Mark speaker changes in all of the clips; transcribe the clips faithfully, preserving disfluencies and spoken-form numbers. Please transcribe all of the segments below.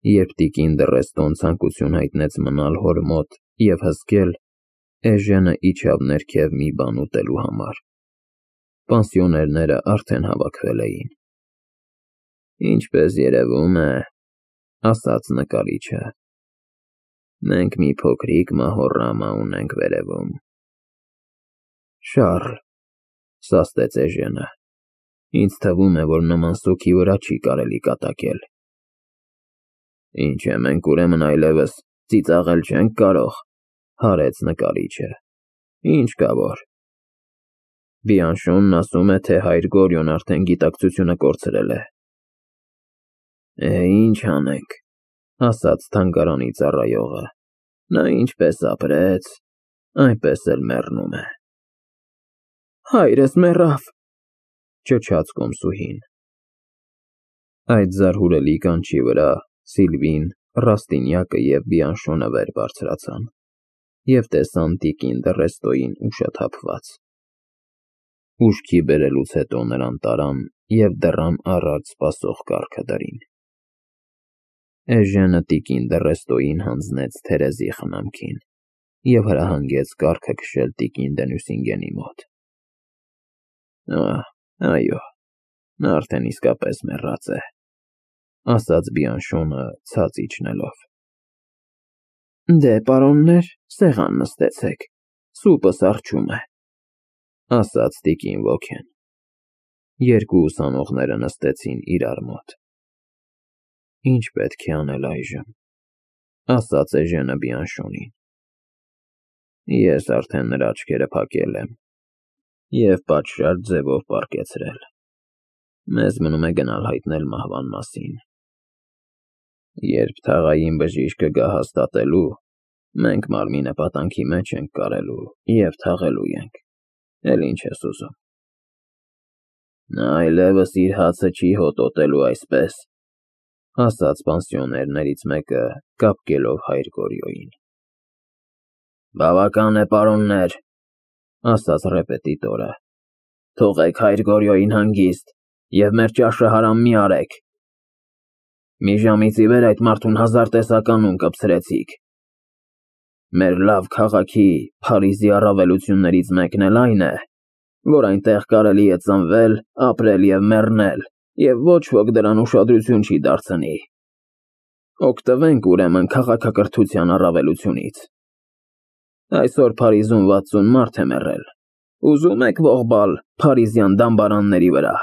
Speaker 1: Երբ տիկին Դռեստոն ցանկություն հայտնեց մնալ հոր մոտ և հսկել, Էժենը իջավ ներքև մի բան ուտելու համար։ Պանսիոներները արդեն հավաքվել էին։ «Ինչպես երևում է, ֊ ասաց նկարիչը, ֊ մենք մի փոքրիկ մահոռամա ունենք վերևում»։ «Շառլ, ֊ սաստեց Էժենը, ֊ ինձ թվում է, որ նման սոգի վրա չի կարելի կատակել»։ «Ինչ է, մենք ուրեմն այլևս ծիծաղել չենք կարող, ֊ հարեց նկարիչը, ֊ ինչ կա որ։ Բիանշոնն ասում է, թե հայր Գորյոն արդեն գիտակցությունը կորցրել է»։ «Է, ինչ անենք, ֊ ասաց թանգարանի ծառայողը, ֊ նա ինչպես ապրեց, այնպես էլ մեռնում է»։ «Հայրս մեռավ, ֊ ճչաց կոմսուհին։ Այդ զարհուրելի կանչի վրա Սիլվին, Ռաստինյակը և Բիանշոնը վեր բարձրացան և տեսան տիկին Դռեստոյին ուշաթափված։ Ուշքի բերելուց հետո նրան տարան և դռան առաջ սպասող կառքը դրին։ Էժենը տիկին Դռեստոյին հանձնեց Թերեզի խնամքին և հրահանգեց կառքը քշել տիկին Դենյուսինգենի մոտ։ «Ահ, այո, նա արդեն իսկապես մեռած է», ֊ ասաց Բիանշոնը ցած իջնելով։ «Դե, պարոններ, սեղան նստեցեք, սուպս առջում է», ֊ ասաց տիկին ոգեն։ Երկու ուսանողները նստեցին իրար մոտ։ «Ինչ պետք է անել այժմ, ֊ ասաց Էժենը Բիանշոնին։ Ես արդեն նրա աչքերը փակել եմ և պատշաճ ձևով պառկեցրել, մեզ մնում է գնալ հայտնել մահվան մասին։ Երբ թաղային բժիշկը գա հաստատելու, մենք մարմինը պատանքի մեջ ենք կարելու և թաղելու ենք, էլ ինչ ես ուզում։ Նա այլևս իր հացը չի հոտոտելու այսպես, ֊ ասաց պանսիոներներից մեկը, կապկելով հայր Գորյոյին։ Բավական է, պարոններ, ֊ ասաց ռեպետիտորը, ֊ թողեք հայր Գորյոյին հանգիստ և մեր ճաշը հարամ մի արեք։ Մի ժամից ի վեր այդ մարդուն հազար տեսականուն կպցրեցիք։ Մեր լավ քաղաքի, Փարիզի առավելություններից մեկն էլ այն է, որ այնտեղ կարելի է ծնվել, ապրել և մեռնել, և ոչ ոք դրան ուշադրություն չի դարձնի։ Օգտվենք, ուրեմն, քաղաքակրթության առավելությունից։ Այսօր Փարիզում վաթսուն մարդ է մեռել, ուզում եք ողբալ փարիզյան դամբարանների վրա։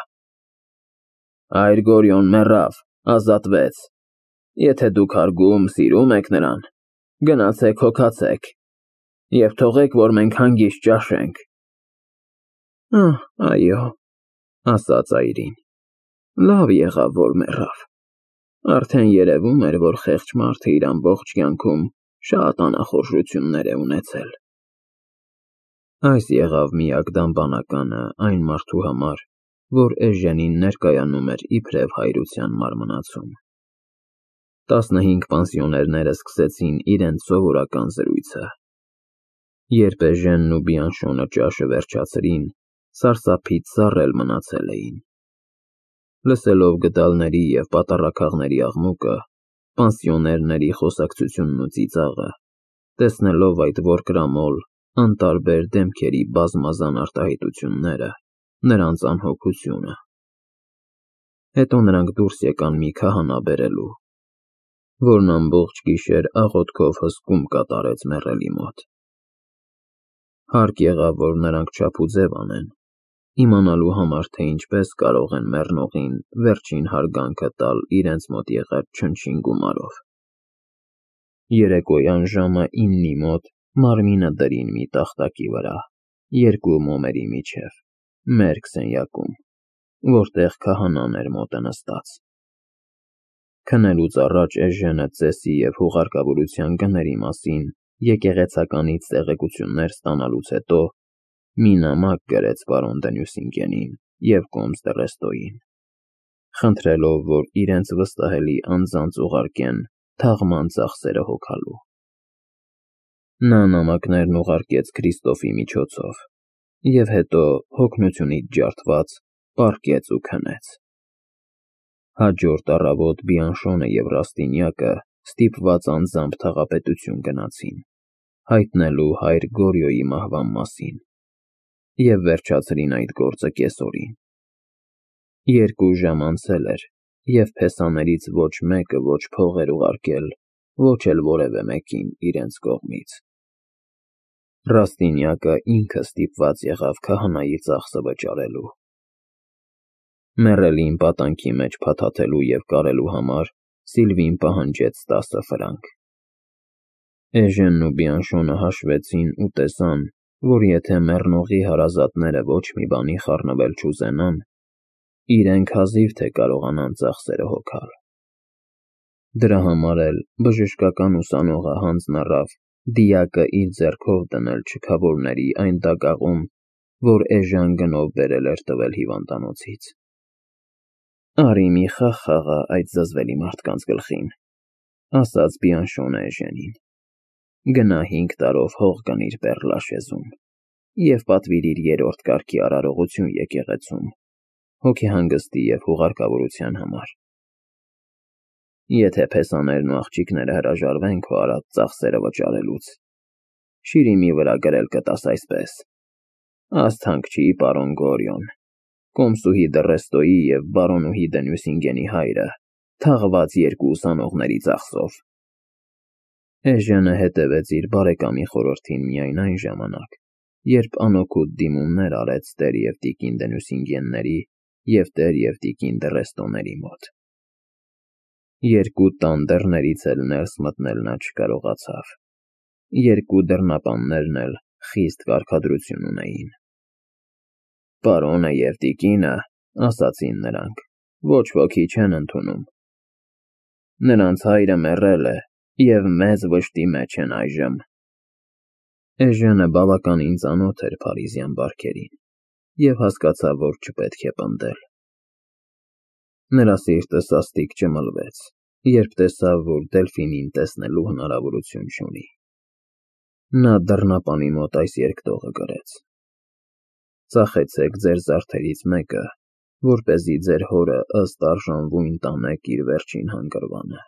Speaker 1: Հայր Գորյոն մեռավ, ազատվեց, եթե դուք հարգում, սիրում եք նրան, գնացեք հոգացեք և թողեք, որ մենք հանգիստ ճաշենք։ Ահ, այո, ֊ ասաց այրին, ֊ լավ եղավ, որ մեռավ, արդեն երևում էր, որ խեղճ մարդը իր ամբողջ կյանքում շատ անախորժություններ է ունեցել։ Այս եղավ միակ դամբանականը այն մարդու համար, որ Էժենին ներկայանում էր իբրև հայրության մարմնացում։ Տասնհինգ պանսիոներները սկսեցին իրենց սովորական զրույցը։ Երբ Էժենն ու Բիանշոնը ճաշը վերջացրին, սարսափից սառել մնացել էին։ Լսելով գդալների և պատառաքաղների աղմուկը, պանսիոներների խոսակցությունն ու ծիծաղը, տեսնելով այդ որկրամոլ, անտարբեր դեմքերի բազմազան արտահայտությունները, նրանց անհոգությունը։ Հետո նրանք դուրս եկան մի քահանա բերելու, որն ամբողջ գիշեր աղոթքով հսկում կատարեց մեռելի մոտ։ Հարկ եղավ, որ նրանք չափուձև անեն, իմանալու համար, թե ինչպես կարող են մեռնողին վերջին հարգանքը տալ իրենց մոտ եղած չնչին գումարով։ Երեկոյան ժամը իննի մոտ մարմինը դրին մի տախտակի վրա, երկու մոմերի միջև, մերկ սենյակում, որտեղ քահանան էր մոտը նստած։ Քնելուց առաջ Էժենը ծեսի և հուղարկավորության գների մասին եկեղեցականից տեղեկություններ ստանալուց հետո մի նամակ գրեց պարոն Դենյուսինգենին և կոմս Դռեստոյին, խնդրելով, որ իրենց վստահելի անձանց ուղարկեն թաղման ծախսերը հոգալու։ Նա նամակներն ուղարկեց Քրիստոֆի միջոցով և հետո, հոգնությունից ջարդված, պառկեց ու քնեց։ Հաջորդ առավոտ Բիանշոնը և Ռաստինյակը ստիպված անձամբ թաղապետություն գնացին, հայտնելու հայր Գորյոյի մահվան մասին, և վերջացրին այդ գործը կեսօրին։ Երկու ժամ անցել էր, և փեսաներից ոչ մեկը ոչ փող էր ուղարկել, ոչ էլ որևէ մեկին իրենց կողմից։ Ռաստինյակը ինքը ստիպված եղավ քահանայի ծախսը վճարելու։ Մեռելին պատանքի մեջ փաթաթելու և կարելու համար Սիլվին պահանջեց տասը ֆրանկ։ Էժենն ու Բիանշոնը հաշվեցին ու տեսան, որ եթե մեռնողի հարազատները ոչ մի բանի խառնվել չուզենան, իրենք հազիվ թե կարողանան ծախսերը հոգալ։ Դրա համար էլ բժշկական ուսանողը հանձն առավ դիակը իր ձեռքով դնել չքավորների այն դագաղում, որ էժան գնով բերել էր տվել հիվանդանոցից։ «Արի մի խաղ խաղա այդ զզվելի մարդկանց գլխին», ասաց Բիանշոնը էժենին։ «Գնա հինգ տարով հող գնիր Պեռլաշեզում և պատվիրիր երրորդ կարգի արարողություն եկեղեցում, հոգեհանգստի և հուղարկավորության համար։ Եթե փեսաներն ու աղջիկները հրաժարվեն քո արած ծախսերը վճարելուց, շիրիմի վրա գրել կտաս այսպես. «Ասթանք չի պարոն Գորյոն, կոմսուհի Դռեստոյի և բարոնուհի դե Նյուսինգենի հայրը, թաղված երկու ուսանողների ծախսով»։ Էժենը հետևեց իր բարեկամի խորհրդին միայն այն ժամանակ, երբ անօգուտ դիմումներ արեց տեր և տիկին դե Նյուսինգենների և տեր և տիկին Դռեստոների մոտ։ Երկու տան դռներից էլ ներս մտնել նա չկարողացավ։ Երկու դռնապաններն էլ խիստ կարգադրություն ունեին։ «Պարոնը և տիկինը, — ասացին նրանք, — ոչ ոքի չեն ընդունում։ Նրանց հայրը մեռել է և մեծ վշտի մեջ են այժմ»։ Էժենը բավականին ծանոթ էր փարիզյան բարքերին և հասկացավ, որ չպետք է պնդել։ Նրա սիրտը սաստիկ ճմլվեց, երբ տեսավ, որ Դելֆինին տեսնելու հնարավորություն չունի։ Նա դռնապանի մոտ այս երկտողը գրեց. «Ծախեցեք ձեր զարդերից մեկը, որպեսզի ձեր հորը ըստ արժանվույն տանեք իր վերջին հանգրվանը»։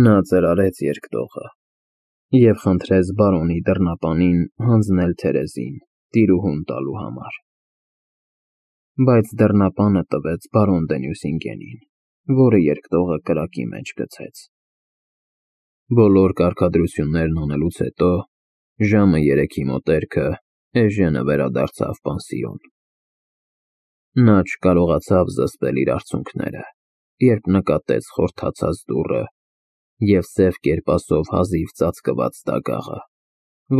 Speaker 1: Նա ծրարեց երկտողը և խնդրեց բարոնի դռնապանին հանձնել Թերեզին տիրուհուն տալու համար։ Բայց դռնապանը տվեց բարոն դե Նյուսինգենին, որը երկտողը կրակի մեջ գցեց։ Բոլոր կարգադրություններն անելուց հետո, ժամը երեքի մոտերքը, էժենը վերադարձավ պանսիոն։ Նա չկարողացավ զսպել իր արցունքները, երբ նկատեց խորթացած դուռը և սև կերպասով հազիվ ծածկված դագաղը,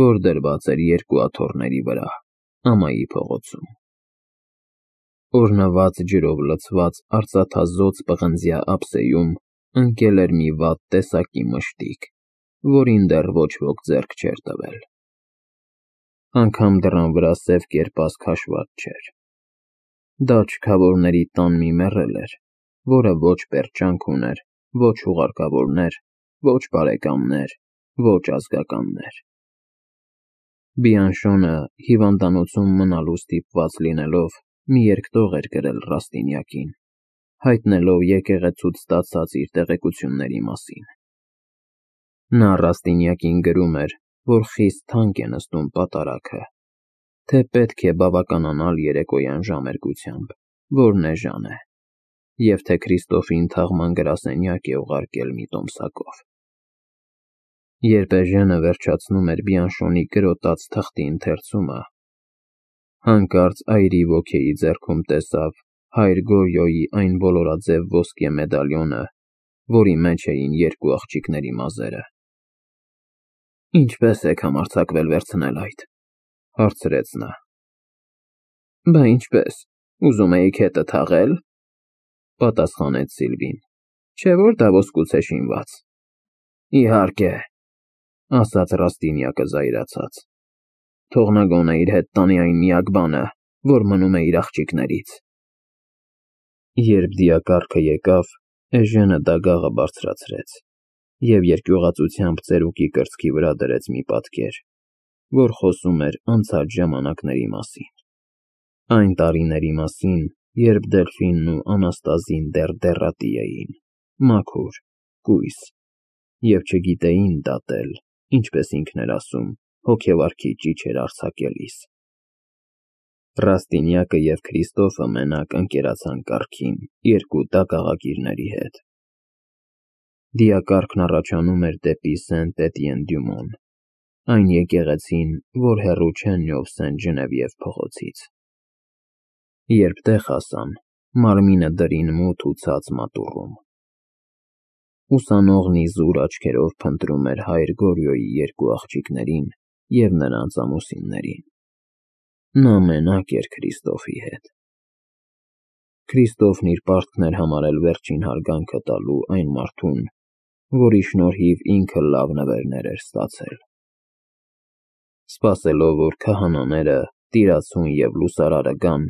Speaker 1: որ դրված էր երկու աթոռների վրա, ամայի փողոցում։ Օրնված ջրով լցված արծաթազօծ պղնձյա ափսեում ընկել էր մի վատ տեսակի մշտիկ, որին դեռ ոչ ոք ձեռք չէր տվել։ Անգամ դռան վրա սև կերպաս քաշված չէր։ Դա չքավորների տան մի մեռել էր, որը ոչ պերճանք ուներ, ոչ հուղարկավորներ, ոչ բարեկամներ, ոչ ազգականներ։ Բիանշոնը, հիվանդանոցում մնալու ստիպված լինելով, մի երկտող էր գրել Ռաստինյակին, հայտնելով եկեղեցուց ստացած իր տեղեկությունների մասին։ Նա Ռաստինյակին գրում էր, որ խիստ թանկ է նստում պատարագը, թե պետք է բավականանալ երեկոյան ժամերգությամբ, որն էժան է, և թե Քրիստոֆին թաղման գրասենյակ է ուղարկել մի տոմսակով։ Երբ էժենը վերջացնում էր Բիանշոնի կրոտած թղթի ընթերցումը, հանկարծ այրի ոգեի ձեռքում տեսավ հայր Գորյոյի այն ոլորաձև ոսկե մեդալյոնը, որի մեջ էին երկու աղջիկների մազերը։ «Ինչպե՞ս եք համարձակվել վերցնել այդ», ֊ հարցրեց նա։ «Բա ինչպես, ուզում էիք հետը թաղե՞լ», ֊ պատասխանեց Սիլվին, «չէ՞ որ դա ոսկուց է շինված»։ «Իհարկե», ֊ ասաց Ռաստինյակը զայրացած, «թող նա գոնե իր հետ տանի այն միակ բանը, որ մնում է իր աղջիկներից»։ Երբ դիակառքը եկավ, էժենը դագաղը բարձրացրեց և երկյուղածությամբ ծերուկի կրծքի վրա դրեց մի պատկեր, որ խոսում էր անցած ժամանակների մասին, այն տարիների մասին, երբ Դելֆինն ու Անաստազին դեռ դեռատի էին, մաքուր, կույս, և չգիտեին դատել, ինչպես ինքն էր ասում, հոգեվարքի ճիչեր արձակելիս։ Ռաստինյակը և Քրիստոֆը մենակ ընկերացան կառքին երկու տակաղագիրների հետ։ Դիակառքն առաջանում էր դեպի Սենտ-Էտիեն-դյու-Մոն, այն եկեղեցին, որ հեռու չէ Նյով Սեն-Ժնևիև փողոցից։ Երբ տեղ հասան, մարմինը դրին մութ ու ցած մատուռում։ Ուսանողն իզուր աչքերով փնտրում էր հայր Գորյոյի երկու աղջիկներին և նրանց ամուսիններին։ Նա մենակ էր Քրիստոֆի հետ։ Քրիստոֆն իր պարտքն էր համարել վերջին հարգանքը տալու այն մարդուն, որի շնորհիվ ինքը լավ նվերներ էր ստացել։ Սպասելով, որ քահանաները, տիրացուն և լուսարարը գան,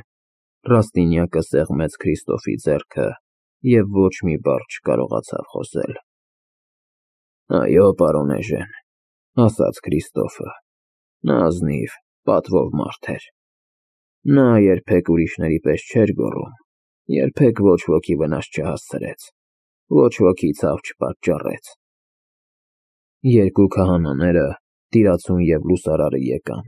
Speaker 1: Ռաստինյակը սեղմեց Քրիստոֆի ձեռքը և ոչ մի բառ չկարողացավ խոսել։ Այո, պարոն Էժեն, ասաց Քրիստոֆը, նա ազնիվ, պատվով մարդ էր։ Նա երբեք ուրիշների պես չէր գոռում, երբեք ոչ ոքի վնաս չհասցրեց, ոչ ոքի ցավ չպատճառեց։ Երկու քահանաները, տիրացուն և լուսարարը եկան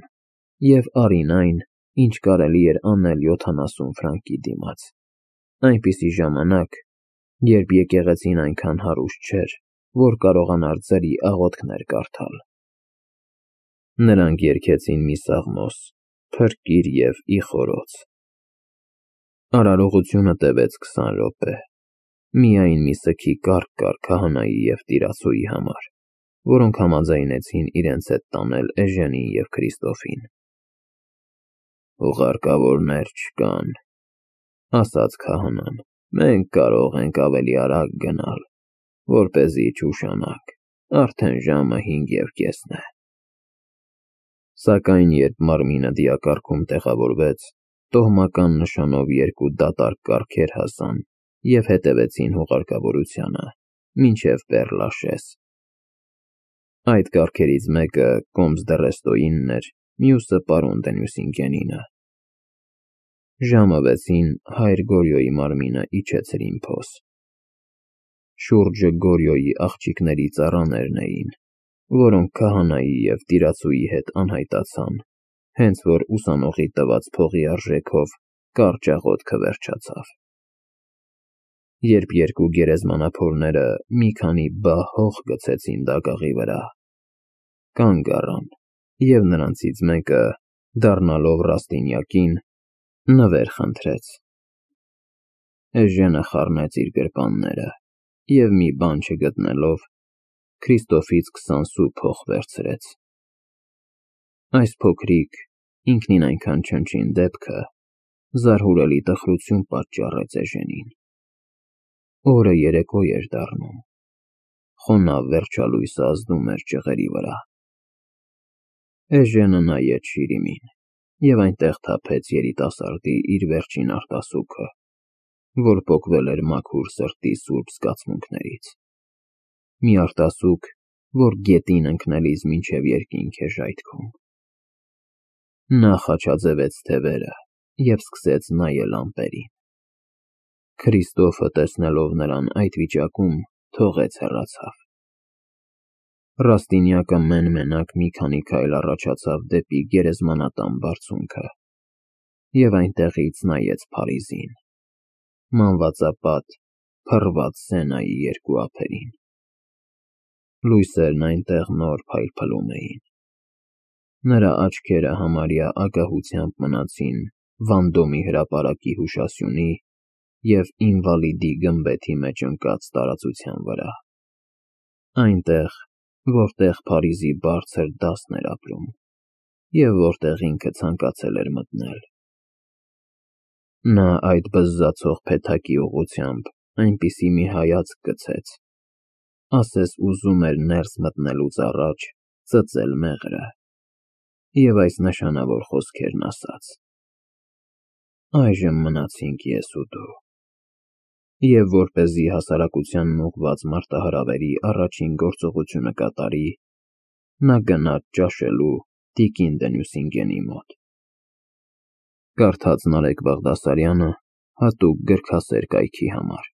Speaker 1: և արին այն, ինչ կարելի էր անել յոթանասուն ֆրանկի դիմաց, այնպիսի ժամանակ, երբ եկեղեցին այնքան հարուստ չէր, որ կարողանար ծերի աղոթքներ կարդալ։ Նրանք երգեցին մի սաղմոս, փրկիր և ի խորոց։ Արարողությունը տևեց քսան րոպե, միայն մի սգի կառք կար քահանայի և տիրացուի համար, որոնք համաձայնեցին իրենց հետ տանել Էժենին և Քրիստոֆին։ Ուղարկավորներ չկան, ասաց քահանան, մենք կարող ենք ավելի արագ գնալ, որպեսզի չուշանաք, արդեն ժամը հինգ և կեսն է։ Սակայն երբ մարմինը դիակառքում տեղավորվեց, տոհմական նշանով երկու դատարկ կառքեր հասան և հետևեցին հուղարկավորությանը, մինչև Պեռ-Լաշես։ Այդ կառքերից մեկը Կոմս դը Ռեստոյինն էր, մյուսը պարոն դը Նյուսինգենինը։ Ժամը վեցին հայր Գորյոյի մարմինը իջեցրին փոս։ Շուրջը Գորյոյի աղջիկների ծառաներն էին, որոնք քահանայի և տիրացուի հետ անհայտացան, հենց որ ուսանողի տված փողի արժեքով կարճ աղոթքը վերջացավ։ Երբ երկու գերեզմանափորները մի քանի բահ հող գցեցին դագաղի վրա, կանգ առան, և նրանցից մեկը, դառնալով Ռաստինյակին, նվեր խնդրեց։ Էժենը խառնեց իր գրպանները և մի բան չգտնելով, Քրիստոֆից քսան սու փող վերցրեց։ Այս փոքրիկ, ինքնին այնքան չնչին դեպքը զարհուրելի տխրություն պատճառեց Էժենին։ Օրը երեկո էր դառնում, խոնավ վերջալույսը ազդում էր ճղերի վրա։ Էժենը նայեց շիրիմին և այնտեղ թափեց երիտասարդի իր վերջին արտասուքը, որ պոկվել էր մաքուր սրտի սուրբ զգացմունքներից։ Մի արտասուք, որ գետին ընկնելիս մինչև երկինք է ժայթքում։ Նա խաչաձևեց թևերը և սկսեց նայել ամպերին։ Քրիստոֆը, տեսնելով նրան այդ վիճակում, թողեց հեռացավ։ Ռաստինյակը մեն֊մենակ մի քանի քայլ առաջացավ դեպի գերեզմանատան բարձունքը և այնտեղից նայեց Փարիզին, մանվածապատ, փռված Սենայի երկու ափերին։ Լույսերն այնտեղ նոր փայլփլում էին։ Նրա աչքերը համարյա ագահությամբ մնացին Վանդոմի հրապարակի հուշասյունի և Ինվալիդի գմբեթի մեջ ընկած տարածության վրա, այնտեղ, որտեղ Փարիզի բարձր դասն էր ապրում և որտեղ ինքը ցանկացել էր մտնել։ Նա այդ բզզացող փեթակի ուղղությամբ այնպիսի մի հայացք գցեց, ասես ուզում էր ներս մտնելուց առաջ ծծել մեղրը և այս նշանավոր խոսքերն ասաց. «Այժմ մնացինք ես ու դու»։ Եվ որպեսզի հասարակությանն ուղղված մարտահրավերի առաջին գործողությունը կատարի, նա գնաց ճաշելու տիկին դը Նյուսինգենի մոտ։ Կարդաց Նարեկ Բաղդասարյանը Հատուկ գրքասեր կայքի համար։